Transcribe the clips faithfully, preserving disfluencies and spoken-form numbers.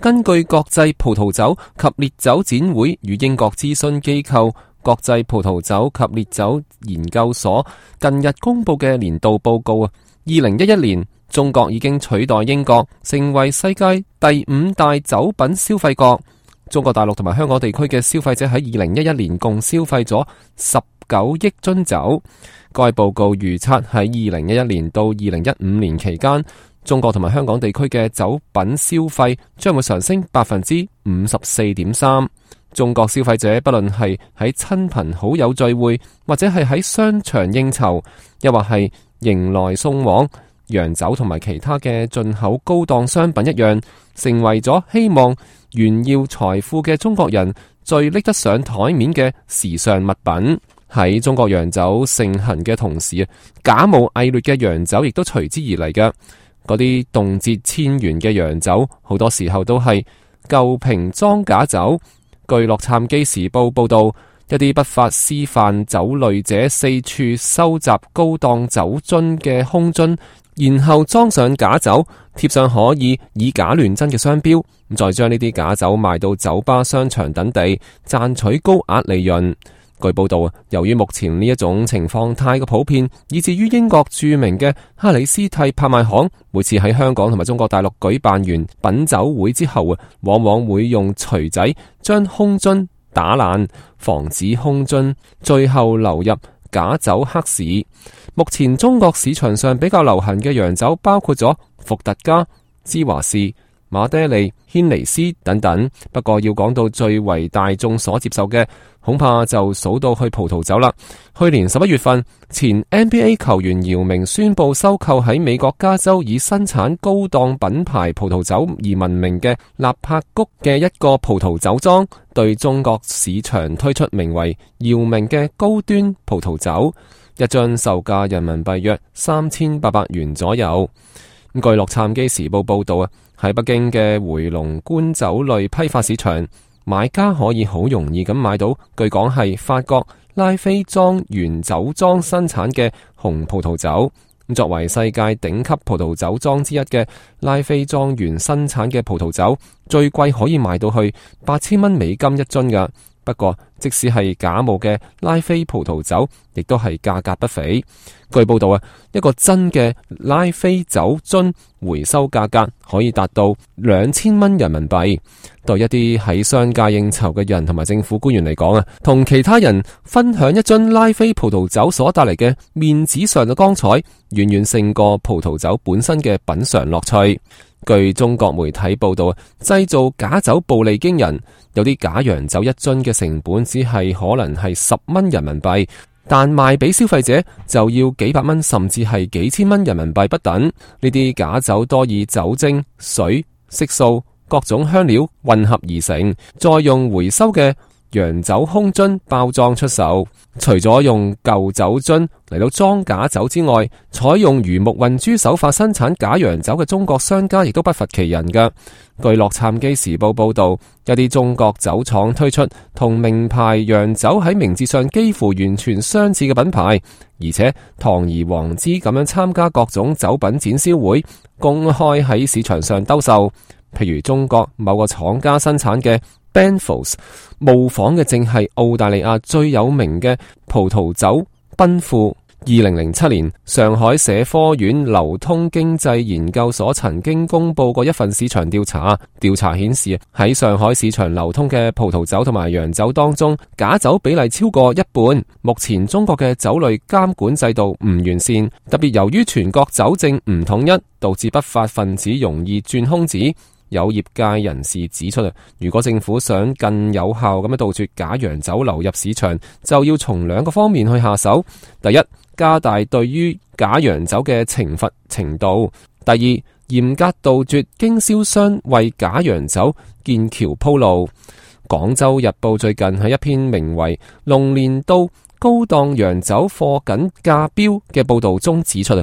根據國際葡萄酒及烈酒展會與英國諮詢機構國際葡萄酒及烈酒研究所近日公布嘅年度報告啊，二零一一年中國已經取代英國成為世界第五大酒品消費國。中國大陸同埋香港地區嘅消費者喺二零一一年共消費咗十九億樽酒。該報告預測喺二零一一年到二零一五年期間，中國同埋香港地區嘅酒品消費將會上升百分之五十四點三。中國消費者不論係喺親朋好友聚會，或者係喺商場應酬，又或係迎來送往，洋酒同埋其他嘅進口高檔商品一樣，成為咗希望炫耀財富嘅中國人最拎得上台面嘅時尚物品。喺中國洋酒盛行嘅同時，假冒偽劣嘅洋酒亦都隨之而嚟嘅。嗰啲動輒千元嘅洋酒，好多時候都係舊瓶裝假酒。據洛杉磯時報報道，一啲不法私販酒類者四處收集高檔酒樽嘅空樽，然後裝上假酒，貼上可以以假亂真嘅商標，再將呢啲假酒賣到酒吧、商場等地，賺取高額利潤。據報道，由於目前呢一種情況太過普遍，以至於英國著名嘅哈里斯蒂拍賣行每次喺香港同埋中國大陸舉辦完品酒會之後啊，往往會用錘仔將空樽打爛，防止空樽最後流入假酒黑市。目前中國市場上比較流行嘅洋酒包括咗伏特加、芝華士、馬爹利、軒尼詩等等。不過要講到最為大眾所接受嘅，恐怕就數到去葡萄酒啦。去年十一月份，前 N B A 球員姚明宣布收購喺美國加州以生產高檔品牌葡萄酒而聞名嘅納柏谷嘅一個葡萄酒莊，對中國市場推出名為姚明嘅高端葡萄酒，一樽售價人民幣約三千八百元左右。據洛杉磯時報報道啊，喺北京嘅回龍觀酒類批發市場，買家可以好容易咁買到，據講係法國拉菲莊園酒莊生產嘅紅葡萄酒。作為世界頂級葡萄酒莊之一嘅拉菲莊園生產嘅葡萄酒，最貴可以賣到去八千蚊美金一樽㗎。不過，即使係假冒嘅拉菲葡萄酒，亦都係價格不菲。據報道啊，一個真嘅拉菲酒樽回收價格可以達到兩千蚊人民幣。對一啲喺商界應酬嘅人同埋政府官員嚟講啊，同其他人分享一樽拉菲葡萄酒所帶嚟嘅面子上嘅光彩，遠遠勝過葡萄酒本身嘅品嘗樂趣。據中國媒體報道啊，製造假酒暴利驚人，有啲假洋酒一樽嘅成本只係可能係十蚊人民幣，但賣俾消費者就要幾百蚊甚至係幾千蚊人民幣不等。呢啲假酒多以酒精、水、色素、各種香料混合而成，再用回收嘅洋酒空樽包裝出售。除咗用舊酒樽嚟到裝假酒之外，採用魚目混珠手法生產假洋酒嘅中國商家亦都不乏其人㗎。據洛杉磯時報報道，一啲中國酒廠推出同名牌洋酒喺名字上幾乎完全相似嘅品牌，而且堂而皇之咁樣參加各種酒品展銷會，公開喺市場上兜售。譬如中國某個廠家生產嘅Benfolds， 模仿嘅正係澳大利亞最有名嘅葡萄酒奔富。二零零七年，上海社科院流通經濟研究所曾經公布過一份市場調查，調查顯示喺上海市場流通嘅葡萄酒同埋洋酒當中，假酒比例超過一半。目前中國嘅酒類監管制度唔完善，特別由於全國酒政唔統一，導致不法分子容易鑽空子。有業界人士指出，如果政府想更有效咁樣杜絕假洋酒流入市場，就要從兩個方面去下手。第一，加大對於假洋酒嘅懲罰程度；第二，嚴格杜絕經銷商為假洋酒建橋鋪路。廣州日報最近喺一篇名為《龍年到高檔洋酒貨緊價標》嘅報道中指出，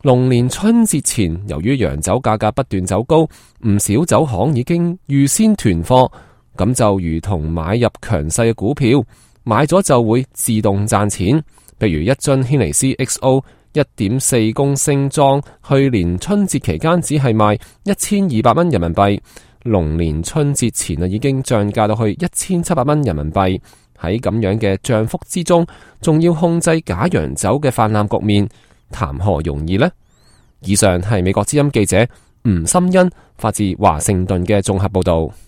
龍年春節前，由於洋酒價格不斷走高，唔少酒行已經預先囤貨，咁就如同買入強勢嘅股票，買咗就會自動賺錢。譬如一樽軒尼詩 X O 一點四公升裝，去年春節期間只係賣一千二百蚊人民幣，龍年春節前啊已經漲價到去一千七百蚊人民幣。喺咁樣嘅漲幅之中，仲要控制假洋酒嘅泛濫局面，談何容易呢？以上係美國之音記者吳心欣發自華盛頓嘅綜合報道。